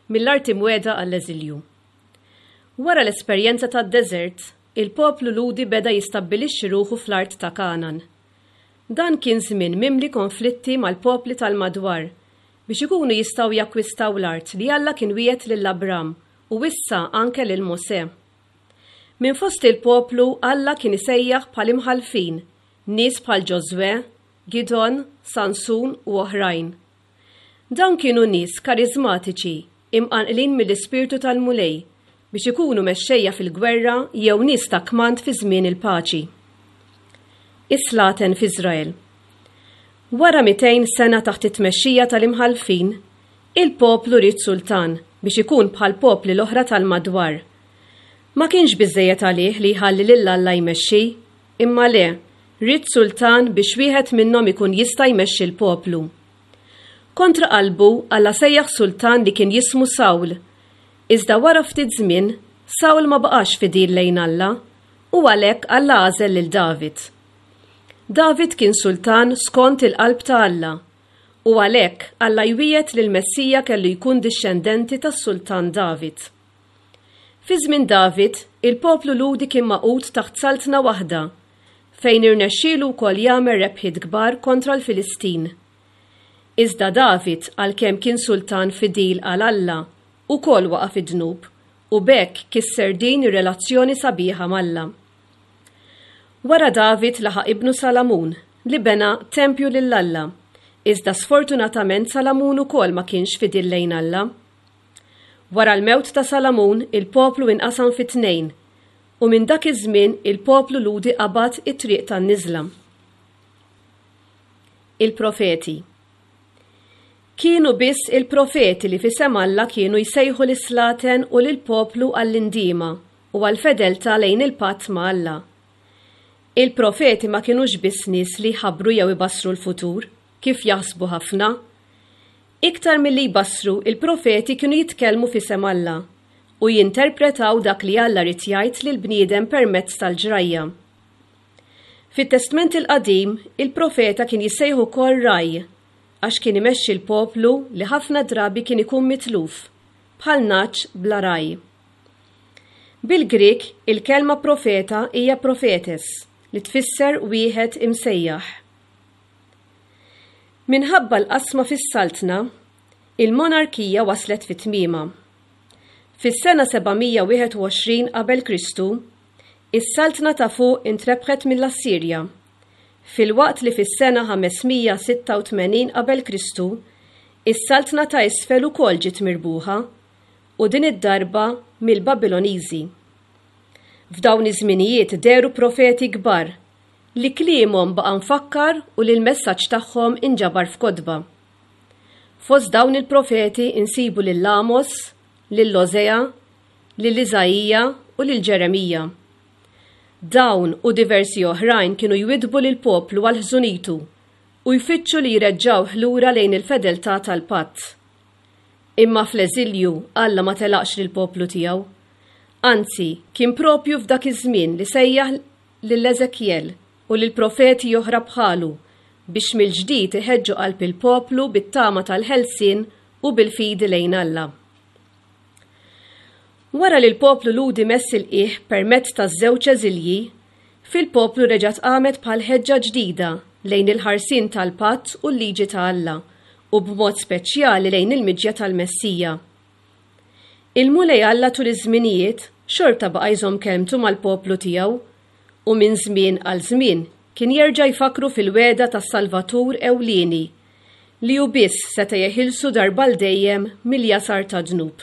Mill-Art Imwiegħda għall-Eżilju. Wara l-esperjenza tad-deżert, il-poplu Lhudi beda jistabbilixxi ruħu fl-art ta' Kangħan. Dan kien żmien mimli konflitti mal-popli tal-madwar biex ikunu jistgħu jakkwistaw l-art li Alla kien wiegħed lil Abram u issa anke lil Mosè. Minn fost il-poplu Alla kien isejjaħ bħal imħallfin nies bħal Ġożwè, Gidgħon, Sansun u oħrajn. Dawn kienu nies kariżmatiċi, imqanqlin mill-Ispirtu tal-Mulej, biex ikunu mexxejja fil-gwerra jew nies ta' kmand fi żmien il-paċi. Is-slaten f'Iżrael. Wara 200 sena taħt it-tmexxija tal-imħallfin, il-poplu ried sultan biex ikun bħall-popli l-oħra tal-madwar. Ma kienx biżżejjed għalih li jħalli lil Alla jmexxi, Imma le, ried sultan biex wieħed minnhom ikun jista' jmexxi l-poplu. Kontra qalbu, Alla sejjaħ sultan li kien jismu Sawl. Iżda wara ftit żmien, Sawl ma baqax fidil lejn Alla, u għalhekk Alla għażel lil David. David kien sultan skont il-qalb ta' Alla, u għalhekk Alla jwiegħed li l-Messija kellu jkun dixxendenti tas-sultan David. Fi żmien David, il-poplu Lhudi kien magħqud taħt saltna waħda, fejn irnexxielu wkoll jagħmel rebħiet kbar kontra l-Filistin. Iżda David, għalkemm kien sultan fidil għal Alla, ukoll waqa' fid-dnub u b'hekk kisser din ir-relazzjoni sabiħa m'Alla. Wara David laħaq ibnu Salamun, li bena tempju lil Alla, iżda sfortunatament Salamun ukoll ma kienx fidil lejn Alla. Wara l-mewt ta' Salamun, il-poplu inqasam fi tnejn, u minn dak iż-żmien il-poplu Lhudi qabad it-triq tan-niżla. Il-profeti. Kienu biss il-profeti li f'isem Alla kienu jsejħu lis-slaten u lill-poplu għall-indiema u għall-fedeltà lejn il-patt ma' Alla. Il-profeti ma kinux biss nies li jħabbru jew ibassru l-futur, kif jaħsbu ħafna. Iktar milli jbassru, il-profeti kienu jitkellmu f'isem Alla u jinterpretaw dak li Alla ried jgħid lill-bniedem permezz tal-ġrajja. Fit-Testment il-Qadim, il-profeta kien jissejjaħ ukoll ragħaj għax kien imexxi l-poplu li ħafna drabi kien ikun mitluf, bħal nagħaġ bla ragħaj. Bil-Grieg, il-kelma profeta hija prophetes, li tfisser wieħed imsejjaħ. Minħabba l-qasma fis-saltna, il-monarkija waslet fi tmiemha. Fis-sena 721 qabel Kristu, is-saltna ta' fuq intrebħet mill-Assirja, filwaqt li fis-sena 586 qabel Kristu, is-saltna ta' isfel ukoll ġiet mirbuħa, u din id-darba mill-Babiloniżi. F'dawn iż-żminijiet dehru profeti kbar li kliemhom baqa' mfakkar u li l-messaġġ tagħhom inġabar f'kotba. Fost dawn il-profeti nsibu lil Amos, lil Osea, lil Iżaija u lil Ġeremija. Dawn u diversi oħrajn kienu jwiddbu lill-poplu għal ħżunitu u jfittxu li jreġġgħuh lura lejn il-fedeltà tal-patt. Imma fl-eżilju Alla ma telaqx lill-poplu tiegħu. Anzi, kien propju f'dak iż-żmien li sejjaħ lil Eżekjel u lil profeti oħra bħalu biex mill-ġdid iħeġġu qalb il-poplu bit-tama tal-ħelsien u bil-fidi lejn Alla. Wara li l-poplu Lhudi mess il-qiegħ permezz taż-żewġ eżilji, fil-poplu reġgħet qamet bħal ħeġġa ġdida lejn il-ħarsien tal-patt u l-liġi ta' Alla u b'mod speċjali lejn il-miġja tal-Messija. Il-Mulej Alla tul iż-żminijiet xorta baqa' jżomm kelmtu mal-poplu tiegħu, u minn żmien għal żmien kien jerġa' jfakkru fil-wegħda tas-Salvatur ewlieni, li hu biss seta' jeħilsu darba għal dejjem mill-jasar tad-dnub.